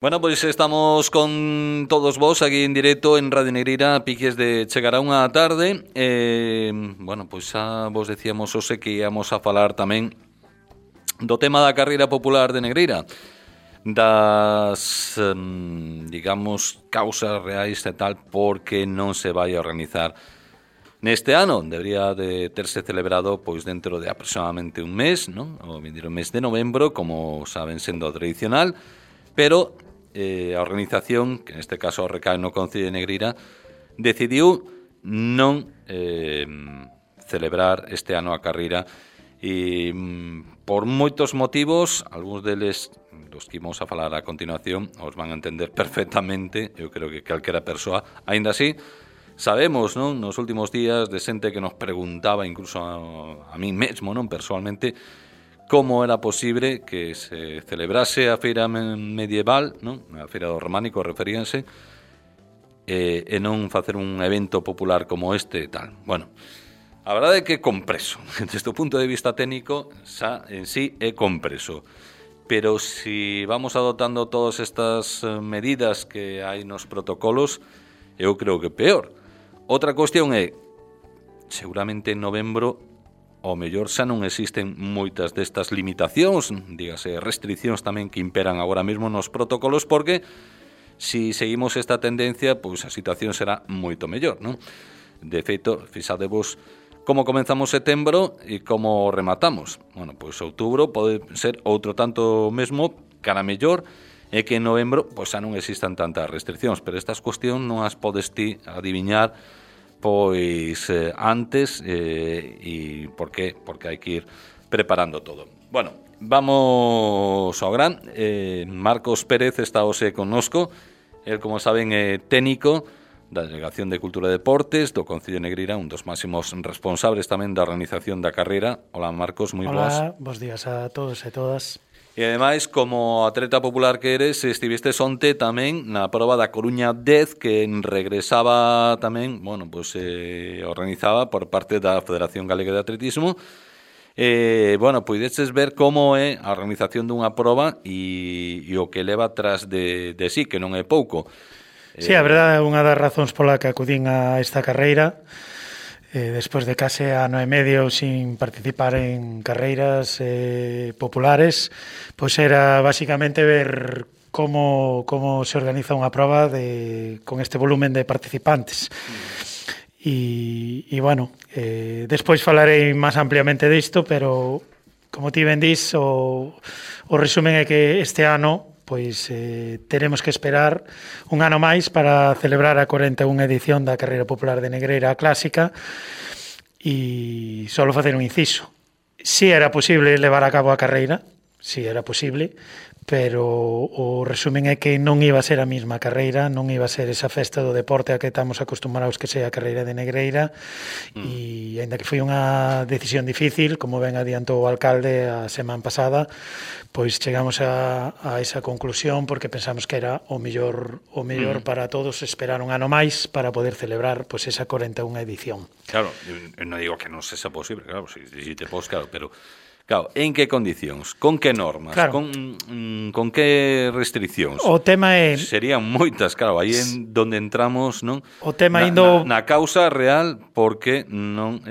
Bueno, pois estamos con todos vos aquí en directo en Radio Negreira, piques de chegar a unha tarde. Bueno, pois xa vos decíamos hoxe que íamos a falar tamén do tema da carreira popular de Negreira, das, digamos, causas reais e tal, porque non se vai a organizar neste ano. Debería de terse celebrado pois dentro de aproximadamente un mes, non? O vindeiro mes de novembro, como saben sendo tradicional, pero a organización, que neste caso recae no Concello de Negreira, decidiu non celebrar este ano a carreira e por moitos motivos, algúns deles dos que imos a falar a continuación os van a entender perfectamente. Eu creo que calquera persoa, aínda así, sabemos, non, nos últimos días de xente que nos preguntaba, incluso a mí mesmo, non, persoalmente, como era posible que se celebrase a feira medieval, non? A feira do románico referíanse, e non facer un evento popular como este e tal. Bueno, a verdade é que é compreso. Desde o punto de vista técnico, xa en sí é compreso. Pero si vamos adoptando todas estas medidas que hai nos protocolos, eu creo que peor. Outra cuestión é, seguramente en novembro, ao mellor xa non existen moitas destas limitacións, dígase restriccións tamén que imperan agora mesmo nos protocolos, porque si seguimos esta tendencia, pois a situación será moito mellor, non? De feito, fixadevos como comenzamos setembro e como rematamos. Bueno, pois outubro pode ser outro tanto mesmo, cara mellor, e que en novembro pois xa non existan tantas restriccións, pero estas cuestións non as podes ti adiviñar pois antes e por qué? Porque hai que ir preparando todo. Bueno, vamos ao gran. Marcos Pérez está hoxe connosco. El, como saben, é técnico da Delegación de Cultura e Deportes do Concello de Negreira, un dos máximos responsables tamén da organización da carreira. Hola, Marcos, moi boas. Hola, bons días a todos e todas. E ademais, como atleta popular que eres, estiveste onte tamén na proba da Coruña 10, que regresaba tamén, bueno, pois organizaba por parte da Federación Galega de Atletismo. Bueno, poideches ver como é a organización dunha proba e o que leva tras de sí, que non é pouco. Sí, a verdade é unha das razóns pola que acudín a esta carreira. Despois de case ano e medio sin participar en carreiras populares, pois era basicamente ver como se organiza unha proba con este volumen de participantes. E bueno, despois falarei máis ampliamente disto, pero como ti ben dis, o resumen é que este ano pois teremos que esperar un ano máis para celebrar a 41ª edición da Carreira Popular de Negreira Clásica e só facer un inciso. Si era posible levar a cabo a carreira, si era posible, pero o resumen é que non iba a ser a mesma carreira, non iba a ser esa festa do deporte a que estamos acostumbrados que sea a Carreira de Negreira, e aínda que foi unha decisión difícil, como ben adiantou o alcalde a semana pasada, pois chegamos a esa conclusión porque pensamos que era o mellor para todos esperar un ano máis para poder celebrar pois esa 41ª edición. Claro, eu non digo que non sexa posible, claro, si te pos, claro, pero claro, en que condicións? Con que normas? Claro. Con que restriccións? O tema é... Serían moitas, claro, aí en donde entramos, non? O tema na causa real porque non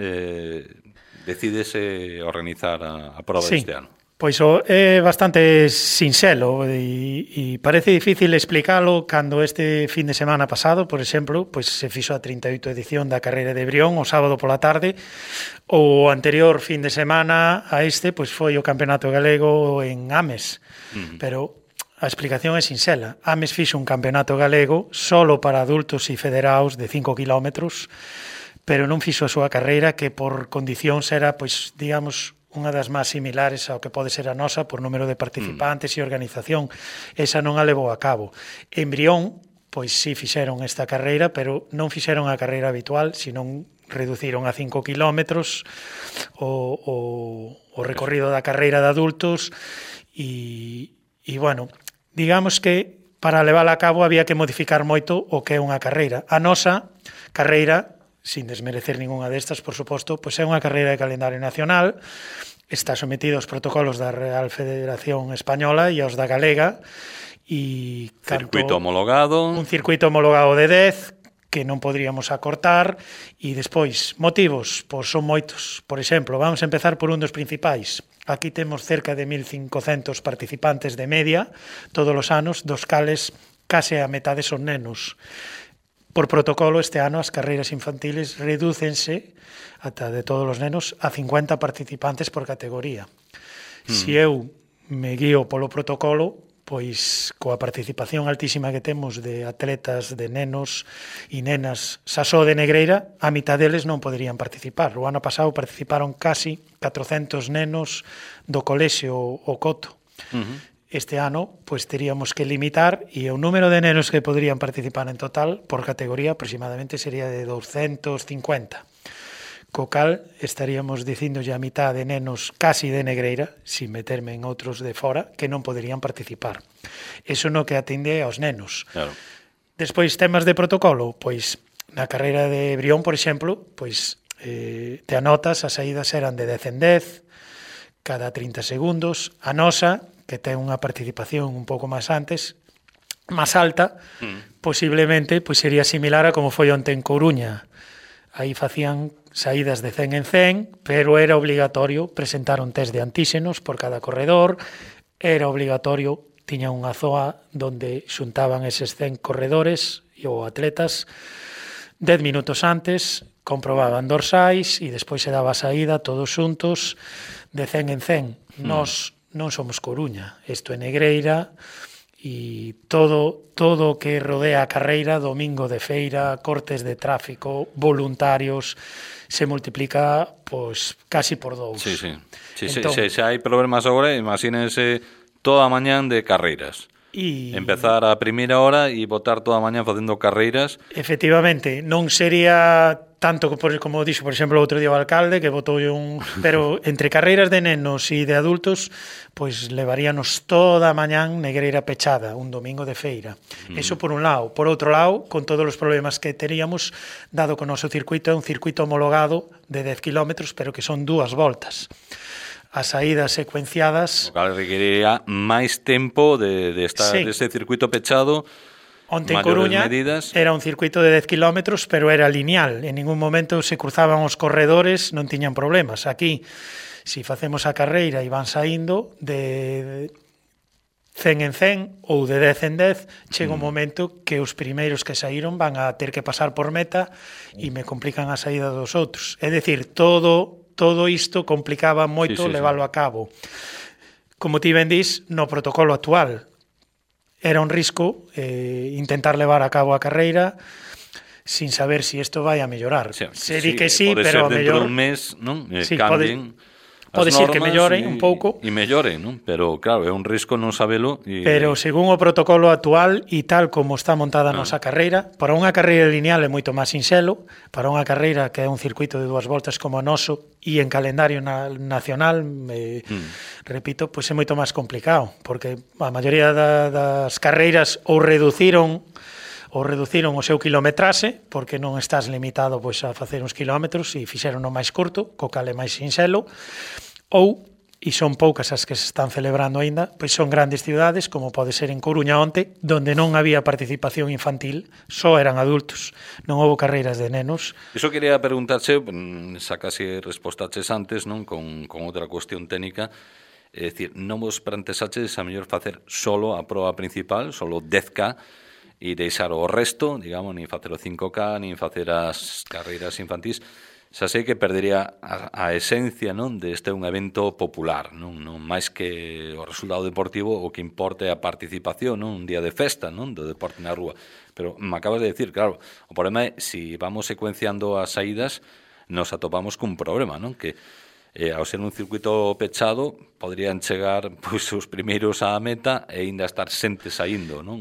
decídese organizar a prova deste ano. Pois é bastante sinxelo e parece difícil explicalo cando este fin de semana pasado, por exemplo, pois se fixo a 38ª edición da carreira de Brión o sábado pola tarde. O anterior fin de semana a este pois foi o Campeonato Galego en Ames. Pero a explicación é sinxela. Ames fixo un campeonato galego solo para adultos e federados de 5 kilómetros, pero non fixo a súa carreira, que por condicións era, pois, digamos, unha das máis similares ao que pode ser a nosa por número de participantes e organización. Esa non a levou a cabo. En Brión, pois sí fixeron esta carreira, pero non fixeron a carreira habitual, senón reduciron a 5 kilómetros o recorrido da carreira de adultos e bueno, digamos que para levála a cabo había que modificar moito o que é unha carreira. A nosa carreira, sin desmerecer ninguna destas, por suposto, pois é unha carreira de calendario nacional, está sometida aos protocolos da Real Federación Española e aos da Galega, e circuito homologado. Un circuito homologado de 10 que non poderíamos acortar, e despois, motivos, pois son moitos. Por exemplo, vamos a empezar por un dos principais. Aquí temos cerca de 1.500 participantes de media todos os anos, dos cales case a metade son nenos. Por protocolo, este ano as carreiras infantiles redúcense ata de todos os nenos a 50 participantes por categoría. Se eu me guío polo protocolo, pois coa participación altísima que temos de atletas, de nenos e nenas xa só de Negreira, a mitad deles non poderían participar. O ano pasado participaron casi 400 nenos do colexio O Coto. Este ano, pois teríamos que limitar, e o número de nenos que poderían participar en total por categoría aproximadamente sería de 250. Co cal estaríamos dicíndolle a mitad de nenos casi de Negreira, sin meterme en outros de fora, que non poderían participar. Eso no que atende aos nenos. Claro. Despois, temas de protocolo, pois na carreira de Brión, por exemplo, pois te anotas, as saídas eran de 10 en 10, cada 30 segundos. A nosa, que ten unha participación un pouco máis antes, máis alta, posiblemente pois sería similar a como foi onte en Coruña. Aí facían saídas de 100 en 100, pero era obligatorio presentar un test de antíxenos por cada corredor, era obligatorio, tiña unha zoa donde xuntaban eses 100 corredores ou atletas 10 minutos antes, comprobaban dorsais e despois se daba a saída todos xuntos de 100 en 100. Nós non somos Coruña, isto é Negreira, e todo o que rodea a carreira, domingo de feira, cortes de tráfico, voluntarios, se multiplica pois casi por 2. Sí. Entón, Se hai problemas agora, imagínense toda a mañán de carreiras. Empezar a primeira hora e botar toda a mañán facendo carreiras. Efectivamente, non sería tanto como dixo, por exemplo, outro día o alcalde, que botou un... Pero entre carreiras de nenos e de adultos, pois levaríanos toda a mañán Negreira pechada, un domingo de feira. Eso por un lado. Por outro lado, con todos os problemas que teríamos, dado que o noso circuito é un circuito homologado de 10 kilómetros, pero que son 2 voltas. As saídas secuenciadas... O cal requeriría máis tempo de estar dese circuito pechado. Onte en Coruña era un circuito de 10 kilómetros, pero era lineal. En ningún momento se cruzaban os corredores, non tiñan problemas. Aquí, se facemos a carreira e van saindo de 100 en 100 ou de 10 en 10, chega un momento que os primeiros que saíron van a ter que pasar por meta e me complican a saída dos outros. É dicir, todo isto complicaba moito leválo a cabo. Como ti ben dís, no protocolo actual era un risco intentar levar a cabo a carreira sin saber si isto vai a mellorar. Se di que sí, pero a mellor... Pode ser dentro dun mes, non? Cambien pode ser que mellore un pouco. E mellore, non? Pero, claro, é un risco non sabelo. Pero, según o protocolo actual e tal como está montada a nosa carreira, para unha carreira lineal é moito máis sinxelo, para unha carreira que é un circuito de 2 voltas como o noso e en calendario nacional, repito, pois é moito máis complicado, porque a maioría das carreiras ou reduciron o seu kilometraxe, porque non estás limitado pois a facer uns kilómetros e fixeron o máis curto, co cal é máis sinxelo, ou, e son poucas as que se están celebrando aínda, pois son grandes cidades, como pode ser en Coruña onte, donde non había participación infantil, só eran adultos, non houve carreiras de nenos. Iso quería preguntarche, xa casi respostaches antes, non, con outra cuestión técnica, é dicir, non vos planteaxedes a mellor facer solo a proba principal, solo 10K, e deixar o resto, digamos, nin facer o 5K, nin facer as carreiras infantís. Xa sei que perdería a esencia, non, de este un evento popular, non máis que o resultado deportivo, o que importe a participación, non, un día de festa, non, do deporte na rúa. Pero me acabas de decir, claro, o problema é, se vamos secuenciando as saídas, nos atopamos cun problema, non, que ao ser un circuito pechado, poderían chegar pois os primeiros á meta e ainda estar xente saindo, non?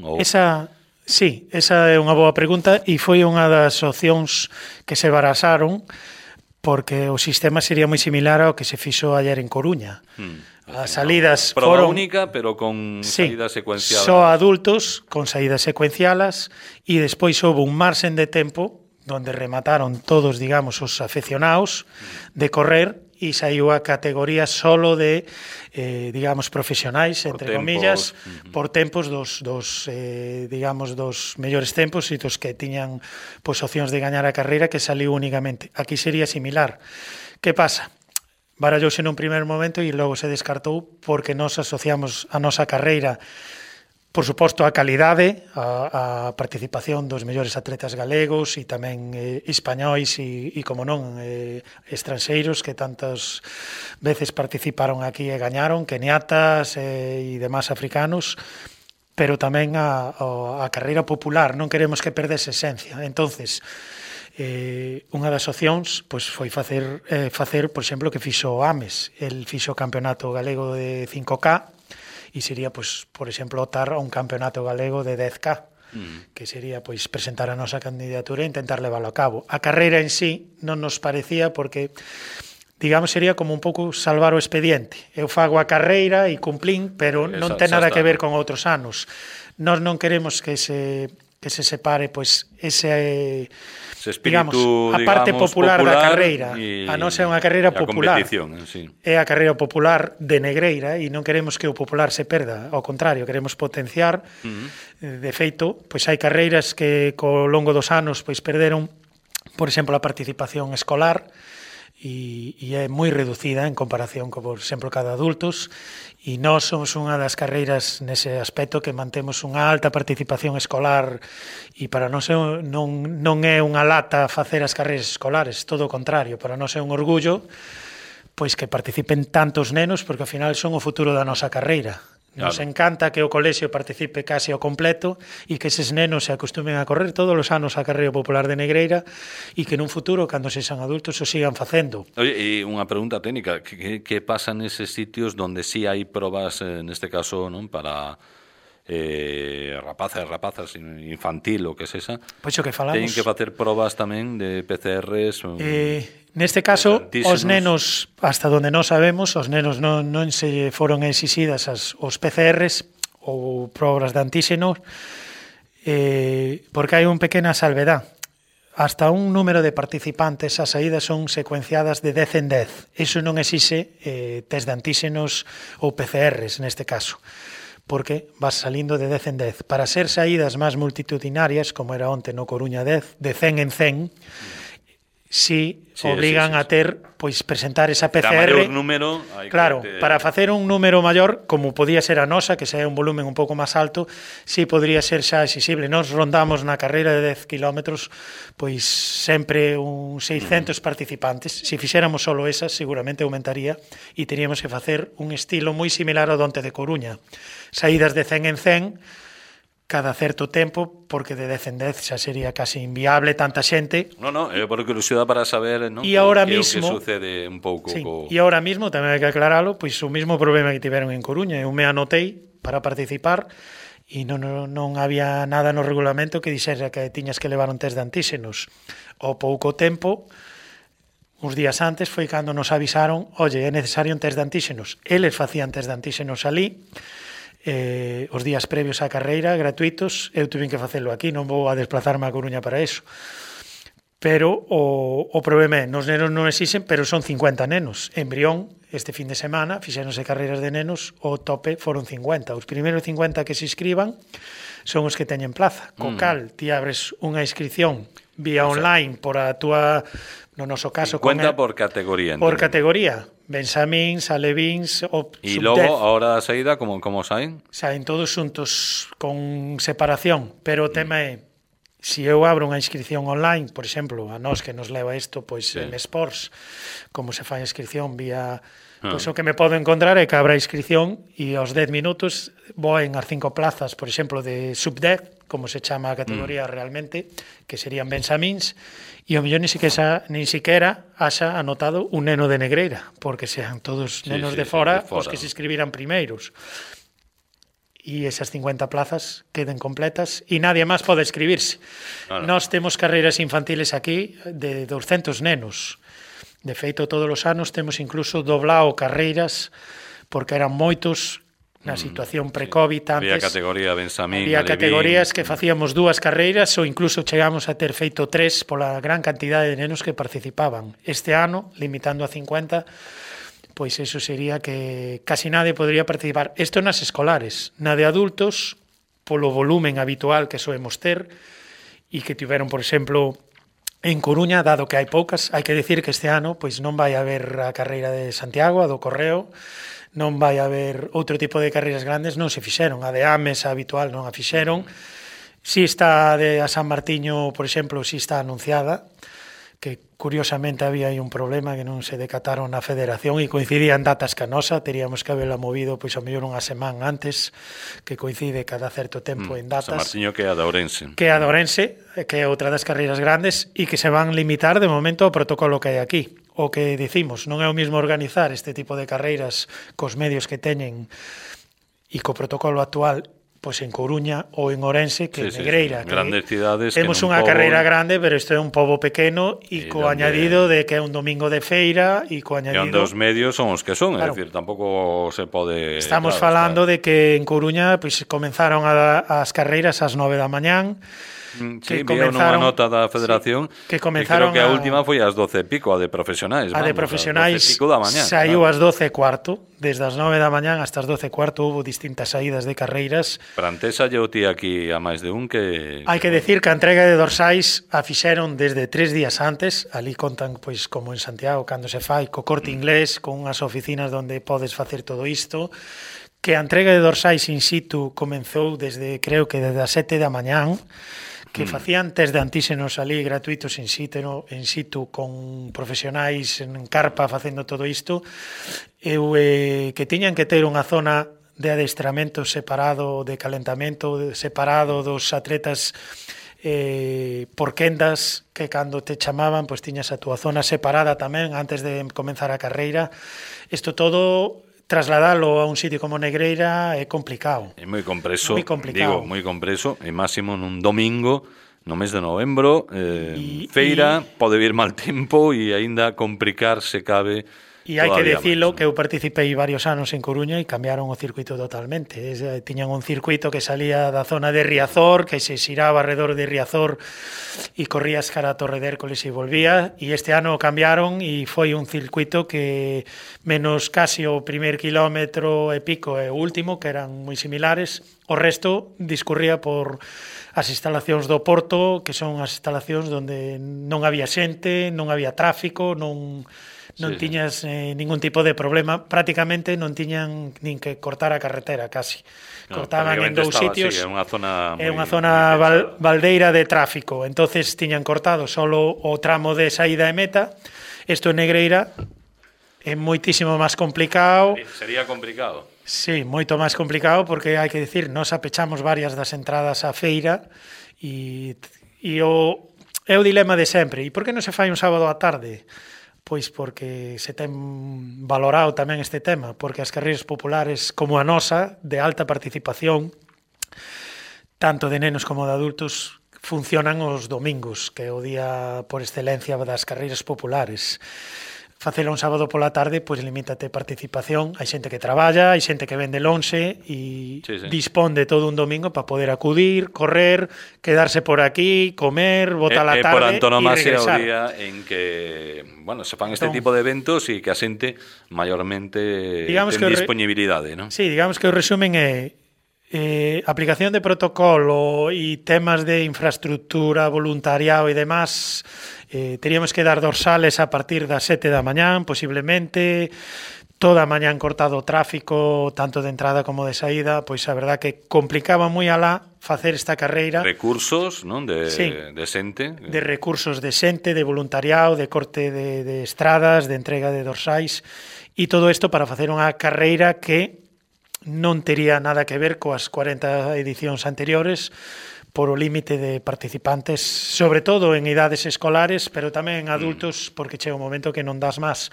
Sí, esa é unha boa pregunta e foi unha das opcións que se barasaron porque o sistema sería moi similar ao que se fixo ayer en Coruña. As salidas foron... Proba única, pero con saídas secuenciadas. Só adultos, con saídas secuencialas, e despois houve un marxen de tempo donde remataron todos, digamos, os afeccionados de correr e saiu a categoría solo de, digamos, profesionais, entre comillas, por tempos dos mellores tempos e dos que tiñan pois, opcións de gañar a carreira, que saliu únicamente. Aquí sería similar. Que pasa? Barallouse nun primeiro momento e logo se descartou porque nos asociamos a nosa carreira, por suposto, a calidade, a participación dos mellores atletas galegos e tamén españois e como non, estranxeiros que tantas veces participaron aquí e gañaron, keniatas e demás africanos, pero tamén a carreira popular. Non queremos que perdese esencia. Entonces, unha das opcións pois, foi facer, por exemplo, que fixo Ames. El fixo o campeonato galego de 5K, e sería, pois, por exemplo, optar a un campeonato galego de 10K, que sería pois presentar a nosa candidatura e intentar leválo a cabo. A carreira en sí non nos parecía porque, digamos, sería como un pouco salvar o expediente. Eu fago a carreira e cumplín, pero non ten nada que ver con outros anos. Nós non queremos que se separe pois ese espírito, digamos, a parte popular da carreira. A nosa é unha carreira popular. Sí. É a carreira popular de Negreira e non queremos que o popular se perda. Ao contrario, queremos potenciar. De feito, pois hai carreiras que co longo dos anos pois perderon, por exemplo, a participación escolar e é moi reducida en comparación con, por exemplo, cada adultos, e nós somos unha das carreiras nese aspecto que mantemos unha alta participación escolar e para nós non é unha lata facer as carreiras escolares, todo o contrario, para nós é un orgullo pois que participen tantos nenos porque ao final son o futuro da nosa carreira. Nos encanta que o colexio participe case ao completo e que eses nenos se acostumen a correr todos os anos a carreira popular de Negreira e que nun futuro, cando sexan adultos, o sigan facendo. Oye, e unha pregunta técnica, que pasa neses sitios donde sí hai probas, neste caso, non, para rapazas infantil ou que sexa? Pois o que falamos. Teñen que facer probas tamén de PCRs? Neste caso, os nenos, hasta donde non sabemos, os nenos non se foron exixidas os PCRs ou probas de antíxenos porque hai un pequena salvedad. Hasta un número de participantes as saídas son secuenciadas de 10 en 10. Iso non exixe test de antíxenos ou PCRs neste caso, porque vas salindo de 10 en 10. Para ser saídas máis multitudinarias, como era onte no Coruña 10, de 100 en 100, si obligan a ter, pois, presentar esa PCR. Número, claro, para facer un número maior, como podía ser a nosa, que sea un volumen un pouco máis alto, si podría ser xa exixible. Nos rondamos na carreira de 10 kilómetros, pois sempre un 600 participantes. Si fixéramos solo esas, seguramente aumentaría e teríamos que facer un estilo moi similar ao donte de Coruña. Saídas de 100 en 100, cada certo tempo, porque de 10 en 10 xa sería casi inviable tanta xente. É por curiosidade para saber, non? E agora que mismo sucede un pouco. Sí, e agora mismo tamén hai que aclaralo, pois o mismo problema que tiveron en Coruña. Eu me anotei para participar e non había nada no regulamento que dixera que tiñas que levar un test de antíxenos. Ao pouco tempo, uns días antes, foi cando nos avisaron, oye, é necesario un test de antíxenos. Eles facían test de antíxenos ali, os días previos á carreira, gratuitos. Eu tuve que facelo aquí, non vou a desplazarme a Coruña para eso. Pero o problema é, nos nenos non existen, pero son 50 nenos. En Brión, este fin de semana, fixéronse carreiras de nenos, o tope foron 50. Os primeiros 50 que se inscriban son os que teñen plaza. Co cal, ti abres unha inscripción vía online por a túa, no noso caso... 50 por categoría. Por categoría. Benxamíns, alevins... E logo, a hora da saída, como saen? Saen todos xuntos con separación, pero o tema é, se eu abro unha inscripción online, por exemplo, a nós que nos leva isto, pois en Sports, como se fai a inscripción vía... Pois o que me podo encontrar é que abra a inscripción e aos 10 minutos voen as 5 plazas, por exemplo, de sub-10, como se chama a categoría realmente, que serían benxamíns, e o mellor ni siquiera haxa anotado un neno de Negreira, porque sean todos nenos de fora os que se inscribiran primeiros. E esas 50 plazas queden completas e nadie máis pode inscribirse. Nós temos carreiras infantiles aquí de 200 nenos. De feito, todos os anos temos incluso doblado carreiras porque eran moitos na situación pre-Covid antes. Había categoría Bensamín, había Alevín. categorías que facíamos 2 carreiras ou incluso chegamos a ter feito 3 pola gran cantidade de nenos que participaban. Este ano, limitando a 50, pois eso sería que casi nadie podría participar. Isto nas escolares. Na de adultos, polo volumen habitual que soemos ter, e que tiveron, por exemplo, en Coruña, dado que hai poucas, hai que decir que este ano pois non vai haber a carreira de Santiago, a do Correo, non vai haber outro tipo de carreiras grandes, non se fixeron. A de Ames, a habitual, non a fixeron. Si está de a San Martiño, por exemplo, si está anunciada, que curiosamente había aí un problema que non se decataron na federación e coincidían datas ca nosa, teríamos que haberla movido pois a mellor unha semana antes, que coincide cada certo tempo en datas. San Martiño que é a de Ourense. Que é a de Ourense, que é outra das carreiras grandes e que se van limitar de momento ao protocolo que hai aquí. O que dicimos, non é o mismo organizar este tipo de carreiras cos medios que teñen e co protocolo actual pois en Coruña ou en Ourense que en Negreira. Que grandes cidades. Temos unha carreira grande, pero isto é un pobo pequeno e co añadido de que é un domingo de feira e co añadido... E onde os medios son os que son, claro. É dicir, tampouco se pode... Estamos falando de que en Coruña pois comenzaron as carreiras ás 9 da mañán. Sí, vía unha nota da Federación que comenzaron creo que a última foi ás 12 e pico, a de profesionais. A de profesionais saiu ás 12 e cuarto. Desde as 9 da mañán hasta as 12 e cuarto houve distintas saídas de carreiras. Prantesa eu ti aquí a máis de un que... Hai que decir que a entrega de dorsais a fixeron desde 3 días antes. Ali contan, pois, como en Santiago, cando se fai, co Corte Inglés, con unhas oficinas onde podes facer todo isto. Que a entrega de dorsais in situ comenzou desde, creo que desde as 7 da mañán, que facían test de antíxenos ali gratuitos in situ con profesionais en carpa facendo todo isto, que tiñan que ter unha zona de adestramento separado, de calentamento separado dos atletas por quendas, que cando te chamaban pois tiñas a túa zona separada tamén antes de comenzar a carreira. Isto todo trasladalo a un sitio como Negreira é complicado. É moi compreso, digo, moi compreso, e máximo nun domingo, no mes de novembro, feira, pode vir mal tempo e aínda complicar se cabe. E hai que decilo que eu participei varios anos en Coruña e cambiaron o circuito totalmente. Tiñan un circuito que salía da zona de Riazor, que se xiraba alrededor de Riazor e corrías cara a Torre de Hércoles e volvía, e este ano o cambiaron e foi un circuito que menos casi o primer kilómetro e pico e o último, que eran moi similares, o resto discurría por as instalacións do Porto, que son as instalacións onde non había xente, non había tráfico, non tiñas ningún tipo de problema, prácticamente non tiñan nin que cortar a carretera casi. Cortaban en dous sitios. É unha zona baldeira de tráfico. Entonces tiñan cortado solo o tramo de saída e meta. Isto en Negreira é moitísimo máis complicado. Sería complicado. Sí, moito máis complicado porque hai que decir, nós apechamos varias das entradas á feira e é o dilema de sempre. E por que non se fai un sábado á tarde? Pois porque se ten valorado tamén este tema, porque as carreiras populares como a nosa, de alta participación, tanto de nenos como de adultos, funcionan os domingos, que é o día por excelencia das carreiras populares. Facelo un sábado pola tarde, pois limítate participación. Hai xente que traballa, hai xente que vende lonxe e dispón de todo un domingo para poder acudir, correr, quedarse por aquí, comer, botar a tarde por antonomasia e regresar. O día en que, bueno, se fan este tipo de eventos e que a xente maiormente ten disponibilidade, non? Sí, digamos que o resumen é aplicación de protocolo e temas de infraestructura, voluntariado e demás. Teríamos que dar dorsales a partir das 7 da mañán, posiblemente, toda a mañán cortado o tráfico, tanto de entrada como de saída, pois a verdad que complicaba moi alá facer esta carreira. Recursos, non? De xente. De recursos de xente, de voluntariado, de corte de estradas, de entrega de dorsais, e todo isto para facer unha carreira que non tería nada que ver coas 40 edicións anteriores, por o límite de participantes, sobre todo en idades escolares, pero tamén en adultos, porque chega un momento que non das máis.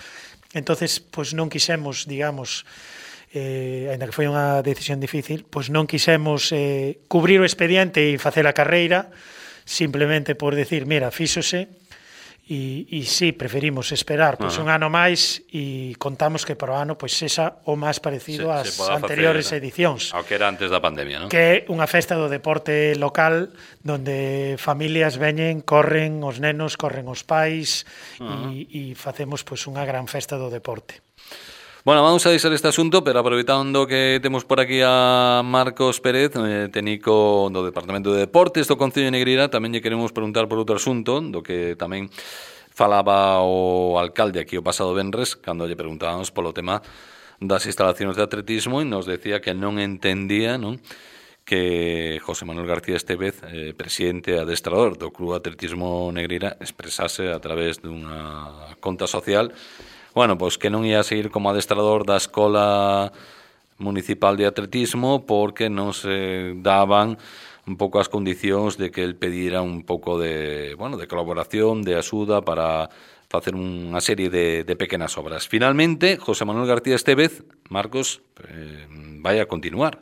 Entonces, pois non quixemos, digamos, ainda que foi unha decisión difícil, pois non quixemos cubrir o expediente e facer a carreira, simplemente por decir, mira, fíxose, E sí, preferimos esperar pois, un ano máis e contamos que para o ano pois, sexa o máis parecido ás anteriores edicións. Ao que era antes da pandemia, non? Que é unha festa do deporte local donde familias veñen, corren os nenos, corren os pais e facemos pois, unha gran festa do deporte. Bueno, vamos a deixar este asunto, pero aproveitando que temos por aquí a Marcos Pérez, técnico do Departamento de Deportes do Concello de Negreira, tamén lle queremos preguntar por outro asunto, do que tamén falaba o alcalde aquí o pasado venres, cando lle preguntábamos polo tema das instalacións de atletismo, e nos decía que non entendía, non, que José Manuel García Estévez, presidente e adestrador do Club Atletismo Negreira, expresase a través dunha conta social bueno, pois que non ia seguir como adestrador da Escola Municipal de Atletismo porque non se daban un pouco as condicións de que el pedira un pouco de, bueno, de colaboración, de axuda para facer unha serie de pequenas obras. Finalmente, José Manuel García Estévez, Marcos, vai a continuar,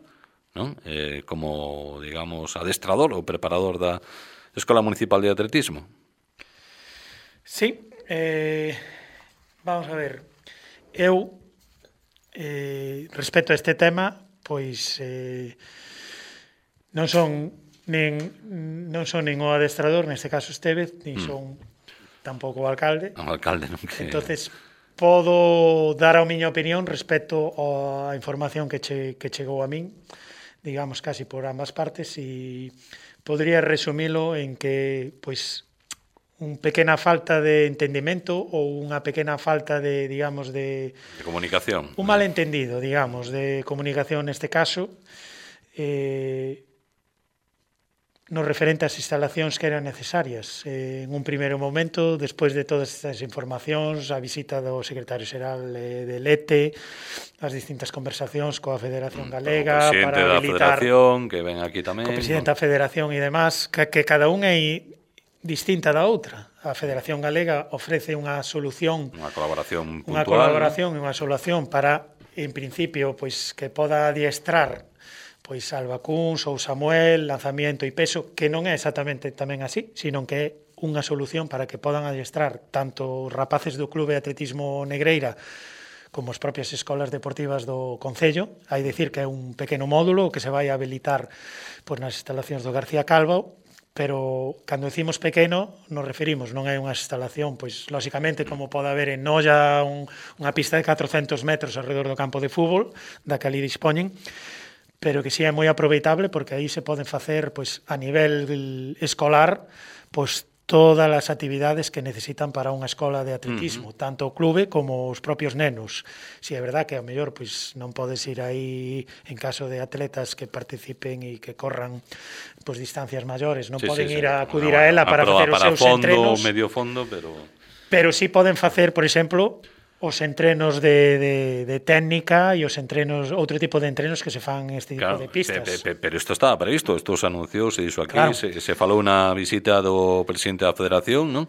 non? Como, digamos, adestrador ou preparador da Escola Municipal de Atletismo. Sí, vamos a ver, eu respecto a este tema, pois non son nin o adestrador, neste caso Estévez, nin son tampouco o alcalde. O alcalde non que... Entonces, podo dar a miña opinión respecto á información que chegou a min, digamos, casi por ambas partes, e podría resumilo en que, pois, unha pequena falta de entendimento ou unha pequena falta de, digamos, de comunicación. Un malentendido, digamos, de comunicación neste caso, no referente ás instalacións que eran necesarias. En un primeiro momento, despois de todas estas informacións, a visita do secretario xeral de Lete, as distintas conversacións coa Federación Galega para habilitar... O presidente da Federación, que ven aquí tamén. Co presidente da Federación e demás, que cada un é distinta da outra. A Federación Galega ofrece unha solución, unha colaboración puntual, unha colaboración e unha solución para, en principio, pois que poda adiestrar pois Alba Cuns ou Samuel, lanzamiento e peso, que non é exactamente tamén así, sino que é unha solución para que podan adiestrar tanto os rapaces do Clube de Atletismo Negreira como as propias escolas deportivas do Concello. Hai dicir que é un pequeno módulo que se vai a habilitar pois, nas instalacións do García Calvo, pero cando decimos pequeno nos referimos, non é unha instalación, pois lóxicamente como pode haber en Noia unha pista de 400 metros alrededor do campo de fútbol, da que ali dispoñen, pero que si é moi aproveitable porque aí se poden facer pois a nivel escolar pois todas as actividades que necesitan para unha escola de atletismo, tanto o clube como os propios nenos. Si é verdad que ao mellor pois non podes ir aí en caso de atletas que participen e que corran pois distancias maiores, non poden ir a acudir a ela para facer os seus entrenos, medio fondo, pero si poden facer, por exemplo, os entrenos de técnica e os entrenos, outro tipo de entrenos que se fan este tipo de pistas. Pero isto estaba previsto, isto se anunciou, se dixo aquí, claro. se falou na visita do presidente da Federación, non?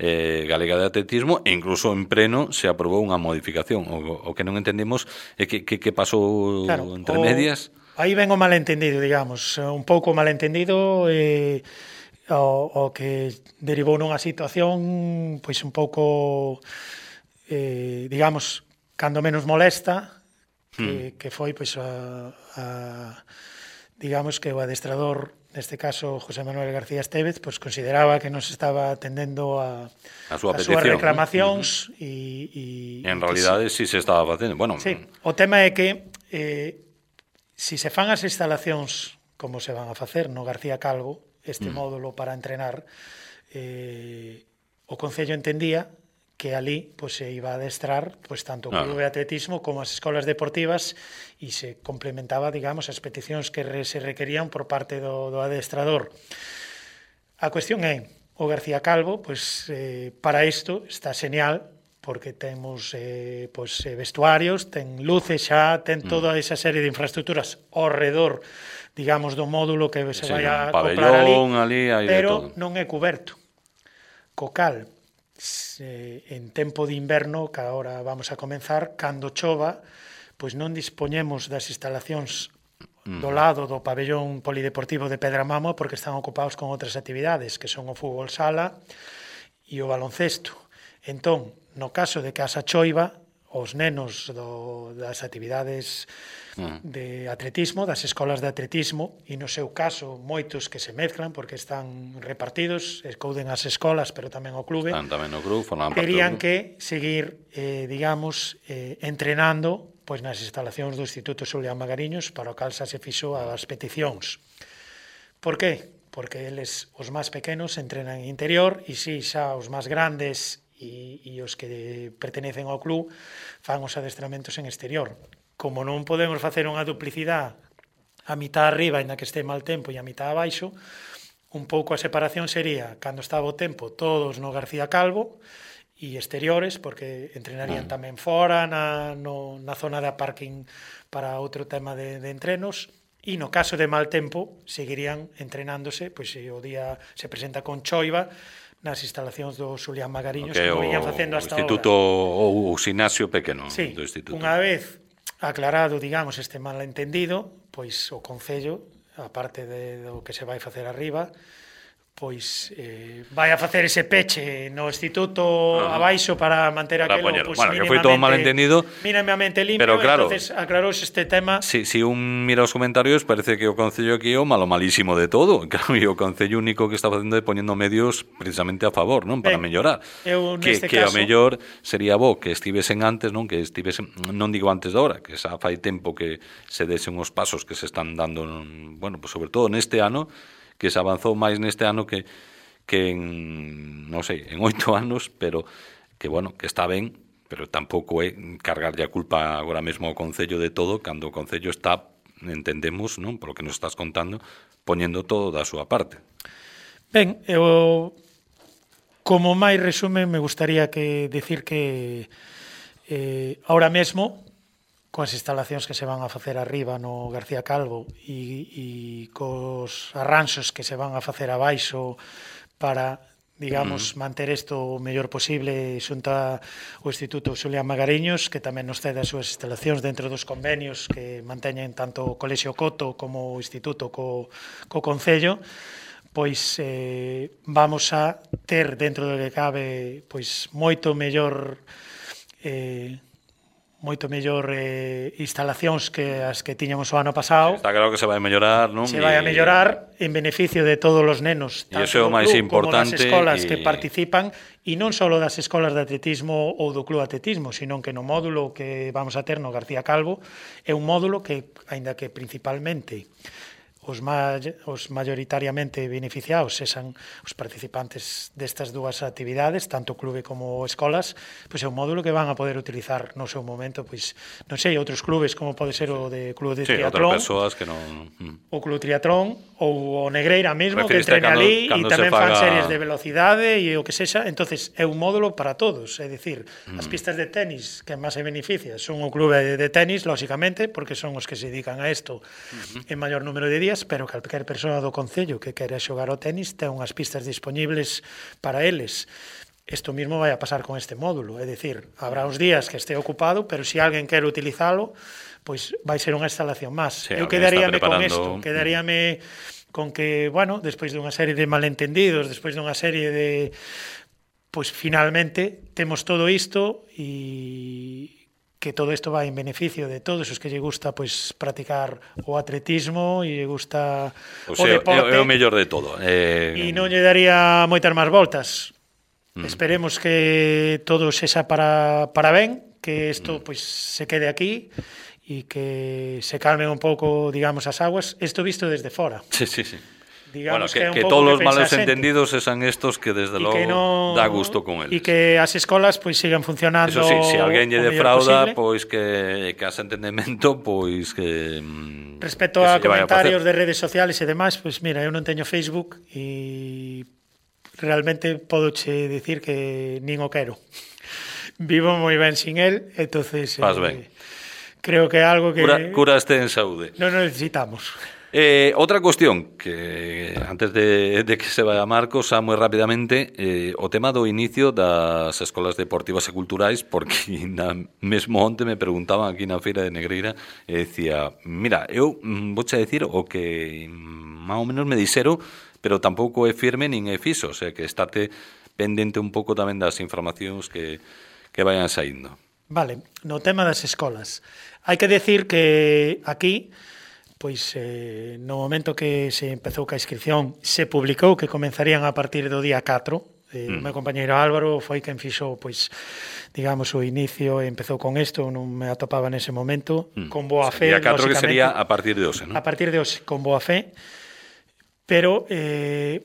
Galega de Atletismo, e incluso en pleno se aprobou unha modificación. O que non entendemos é que pasou claro, entre medias. Aí ven o malentendido, digamos, un pouco malentendido o que derivou nunha situación pois un pouco digamos, cando menos molesta, que foi pois digamos que o adestrador, neste caso José Manuel García Estévez, pois consideraba que non se estaba atendendo a súas reclamacións e en realidade si se estaba facendo. Bueno, sí, o tema é que si se fan as instalacións como se van a facer no García Calvo, este módulo para entrenar, o Concello entendía que ali pois, se iba a adestrar pois, tanto o clube de atletismo como as escolas deportivas e se complementaba, digamos, as peticións que se requerían por parte do adestrador. A cuestión é, o García Calvo, pois, para isto está genial, porque temos pois, vestuarios, ten luces xa, ten toda esa serie de infraestructuras ao redor, digamos, do módulo que se vai a comprar ali, pero non é coberto. Co cal, en tempo de inverno, que agora vamos a comenzar, cando chova, pois non dispoñemos das instalacións do lado do pabellón polideportivo de Pedramamo porque están ocupados con outras actividades, que son o fútbol sala e o baloncesto. Entón, no caso de que haxa choiva, os nenos das actividades de atletismo, das escolas de atletismo, e no seu caso moitos que se mezclan porque están repartidos, escouden as escolas pero tamén o clube, terían que seguir, digamos, entrenando pois nas instalacións do Instituto Xulián Magariños, para o cal xa se fixo as peticións. Por que? Porque eles, os máis pequenos, entrenan en interior e si xa os máis grandes e os que pertenecen ao club fan os adestramentos en exterior. Como non podemos facer unha duplicidade a mitad arriba, ainda que este mal tempo, e a mitad abaixo, un pouco a separación sería, cando estaba o tempo, todos no García Calvo e exteriores, porque entrenarían tamén fora, na zona de parking para outro tema de entrenos, e no caso de mal tempo, seguirían entrenándose, pois se o día se presenta con choiva, nas instalacións do Xulián Magariños, como viñan facendo hasta agora. O instituto ou o ximnasio pequeno do instituto. Unha vez aclarado, digamos, este malentendido, pois o Concello, a parte do que se vai facer arriba, pois vai a facer ese peche no instituto abaixo para manter aquelo pues, bueno, que foi todo malentendido, mínimamente limpio, pero claro, entonces aclarouse este tema. Si un mira os comentarios, parece que o Concello aquí é o malísimo de todo. Claro, e o Concello único que está facendo é poñendo medios precisamente a favor, non, para mellorar. Que ao mellor sería bo que estivesen antes, non, que estivesen, non digo antes da hora, que xa fai tempo que se desen os pasos que se están dando, bueno, pues sobre todo neste ano, que se avanzou máis neste ano que en, non sei, en 8 anos, pero que, bueno, que está ben, pero tampouco é cargarlle a culpa agora mesmo ao Concello de todo, cando o Concello está, entendemos, non, por lo que nos estás contando, poñendo todo da súa parte. Ben, eu, como máis resumen, me gustaría decir que ahora mesmo, coas instalacións que se van a facer arriba no García Calvo e cos arranxos que se van a facer abaixo para, digamos, manter isto o mellor posible xunta o Instituto Xulián Magariños, que tamén nos cede as súas instalacións dentro dos convenios que manteñen tanto o Colexio Coto como o Instituto co Concello, pois vamos a ter dentro do que cabe pois moito mellor instalacións que as que tiñamos o ano pasado. Está claro que se vai a mellorar, non? Se vai a mellorar en beneficio de todos os nenos, tanto do club como das escolas que participan, e non só das escolas de atletismo ou do club atletismo, sino que no módulo que vamos a ter no García Calvo é un módulo que, aínda que principalmente os mayoritariamente beneficiados sexan os participantes destas dúas actividades, tanto o clube como escolas, pois é un módulo que van a poder utilizar no seu momento, pois non sei, outros clubes como pode ser o de club de triatlón, o club triatlón ou o Negreira mesmo, que entrena ali e tamén fan series de velocidade e o que sexa. Entonces é un módulo para todos, é dicir, as pistas de tenis que máis se beneficia son o clube de tenis, lóxicamente, porque son os que se dedican a isto en maior número de días, pero calquer persoa do Concello que quere xogar ao tenis ten unhas pistas dispoñibles para eles. Isto mesmo vai a pasar con este módulo, é dicir, habrá uns días que este ocupado, pero se alguén quere utilizalo, pois vai ser unha instalación máis. Eu quedaríame con isto, quedaríame con que, bueno, despois dunha serie de malentendidos, despois dunha serie de... Pois finalmente temos todo isto e que todo isto vai en beneficio de todos os que lle gusta pois practicar o atletismo e lle gusta o deporte. É o mellor de todo. E non lle daría moitas máis voltas. Esperemos que todo sexa para ben, que isto pois se quede aquí e que se calmen un pouco, digamos, as aguas. Isto visto desde fora. Sí. Digamos bueno, que todos os malos entendidos sean estos que desde logo dá gusto con eles. E que as escolas pois sigan funcionando. Eso sí, se alguén lle defrauda, pois que as entendemento, pois que respecto a comentarios de redes sociales e demais, pois mira, eu non teño Facebook e realmente podoche dicir que nin o quero. Vivo moi ben sin el, entonces creo que é algo que curaste en saúde. Non necesitamos. Outra cuestión que antes de que se vaya Marcos, moi rapidamente, o tema do inicio das escolas deportivas e culturais, porque mesmo onte me preguntaban aquí na feira de Negreira e decía, mira, eu vouche decir o que máis ou menos me dixeron, pero tampouco é firme nin é fixo, o sea que estate pendente un pouco tamén das informacións que vayan saindo. Vale, no tema das escolas. Hai que decir que aquí, pois no momento que se empezou ca inscripción, se publicou que comenzarían a partir do día 4. O meu compañeiro Álvaro foi quen fixo, pois, digamos, o inicio e empezou con isto, non me atopaba nese momento, con boa fe. Día 4 que sería a partir de hoxe, non? A partir de hoxe, con boa fe, pero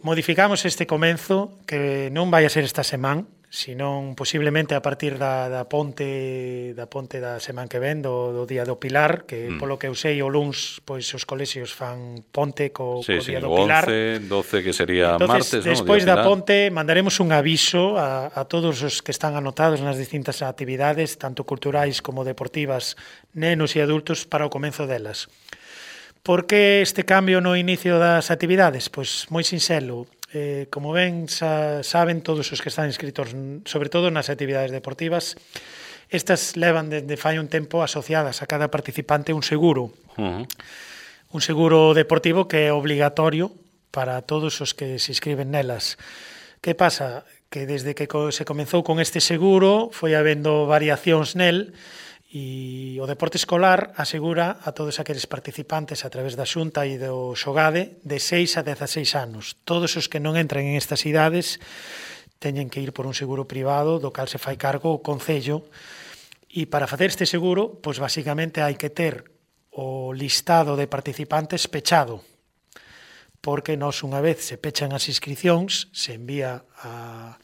modificamos este comenzo que non vai a ser esta semana, senón posiblemente a partir da ponte da semana que ven, do Día do Pilar, que polo que eu sei o luns pois os colexios fan ponte co Día do Pilar. 11, 12 que sería entonces, martes, ¿no? Despois da ponte mandaremos un aviso a todos os que están anotados nas distintas actividades, tanto culturais como deportivas, nenos e adultos, para o comenzo delas. Por que este cambio no inicio das actividades? Pois moi sinxelo. Como ben saben todos os que están inscritos, sobre todo nas actividades deportivas, estas levan desde fai un tempo asociadas a cada participante un seguro. Un seguro deportivo que é obligatorio para todos os que se inscriben nelas. Que pasa? Que desde que se comezou con este seguro foi habendo variacións nel, e o deporte escolar asegura a todos aqueles participantes a través da Xunta e do Xogade de 6 a 16 anos. Todos os que non entran en estas idades teñen que ir por un seguro privado do cal se fai cargo o Concello, e para facer este seguro, pois basicamente hai que ter o listado de participantes pechado, porque nos unha vez se pechan as inscripcións, se envía a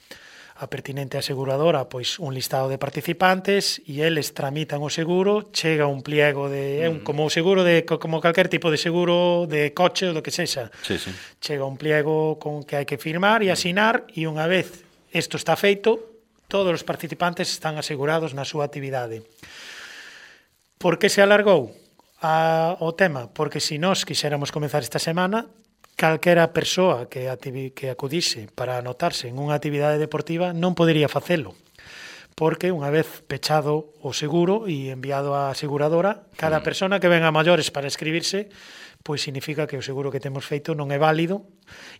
pertinente aseguradora pois un listado de participantes e eles tramitan o seguro, chega un pliego de como o seguro de como calquer tipo de seguro de coche ou do que sexa. Sí. Chega un pliego con que hai que firmar e asinar, e unha vez isto está feito, todos os participantes están asegurados na súa actividade. Por que se alargou o tema? Porque se nós quixéramos comenzar esta semana, calquera persoa que acudise para anotarse en unha actividade deportiva non podería facelo, porque unha vez pechado o seguro e enviado á aseguradora, cada persona que venga a maiores para inscribirse, pois significa que o seguro que temos feito non é válido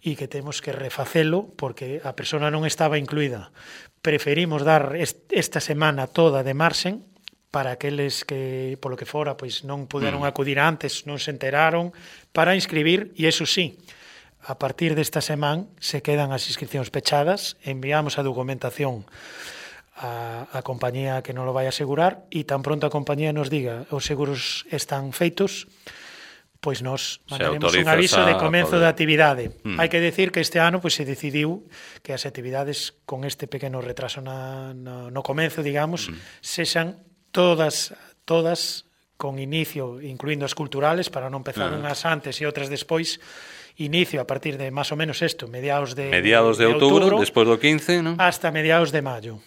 e que temos que refacelo porque a persona non estaba incluída. Preferimos dar esta semana toda de marxen para aqueles que, polo que fora, pois non puderon acudir antes, non se enteraron, para inscribir, e iso sí, a partir desta semana se quedan as inscripcións pechadas, enviamos a documentación a compañía que non lo vai asegurar, e tan pronto a compañía nos diga os seguros están feitos, pois nos mandaremos un aviso de comezo da actividade. Hai que decir que este ano pois se decidiu que as actividades con este pequeno retraso no comezo, digamos, sexan todas con inicio, incluindo as culturales, para non empezar unhas antes e outras despois, inicio a partir de máis ou menos isto, mediados de outubro, despois do 15, non? Hasta mediados de maio.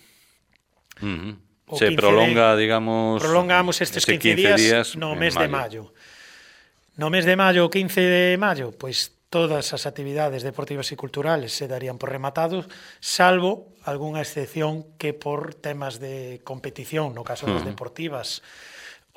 Se prolonga, digamos... Prolongamos estes 15 días no mes de maio. No mes de maio, o 15 de maio, pois todas as actividades deportivas e culturales se darían por rematados, salvo algunha excepción que por temas de competición, no caso das deportivas,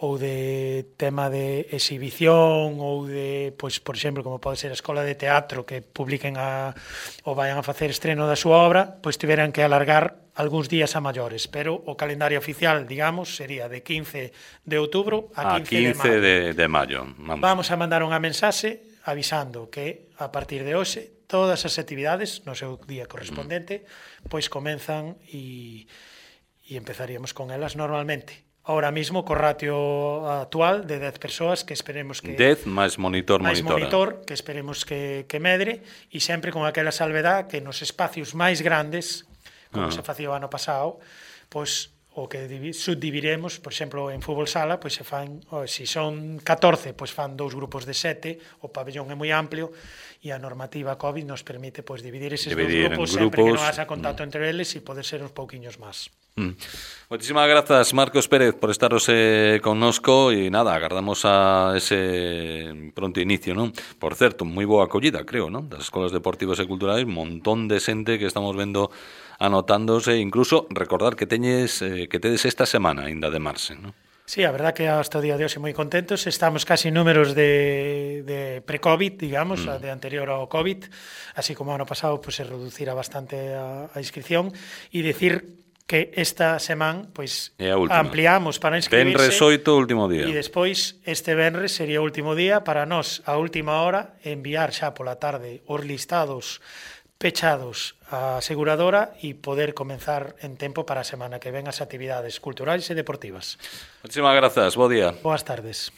ou de tema de exhibición, ou de, pois, por exemplo, como pode ser a Escola de Teatro, que publiquen ou vayan a facer estreno da súa obra, pois tiveran que alargar algúns días a maiores, pero o calendario oficial, digamos, sería de 15 de outubro a 15 de maio. Vamos a mandar unha mensaxe avisando que a partir de hoxe todas as actividades no seu día correspondente pois comenzan e empezaríamos con elas normalmente. Ahora mismo co ratio actual de 10 persoas que esperemos que 10 máis monitor, que esperemos que medre, e sempre con aquela salvedad que nos espacios máis grandes, como se facía o ano pasado, pois o que subdiviremos, por exemplo, en fútbol sala, pois se fan, se son 14, pois fan 2 grupos de 7, o pabellón é moi amplio e a normativa COVID nos permite pois dividir eses 2 grupos sempre que non haxa contacto entre eles e poder ser uns pouquiños máis. Moitísimas grazas, Marcos Pérez, por estaros connosco e nada, agardamos a ese pronto inicio, non? Por certo, moi boa acollida, creo, non? Das escolas deportivas e culturais, un montón de xente que estamos vendo anotándose, incluso recordar que tedes esta semana ainda de marxe, non? Sí, a verdad que hasta o día de hoxe moi contentos. Estamos casi en números de pre-COVID, digamos, de anterior ao COVID, así como ano pasado pues, se reducira bastante a inscripción, e dicir que esta semana pues, ampliamos para inscribirse. Venres 8, último día. E despois, este venres sería o último día para nós, a última hora, enviar xa pola tarde os listados pechados á aseguradora e poder comenzar en tempo para a semana que ven as actividades culturais e deportivas. Muchísimas grazas, bo día. Boas tardes.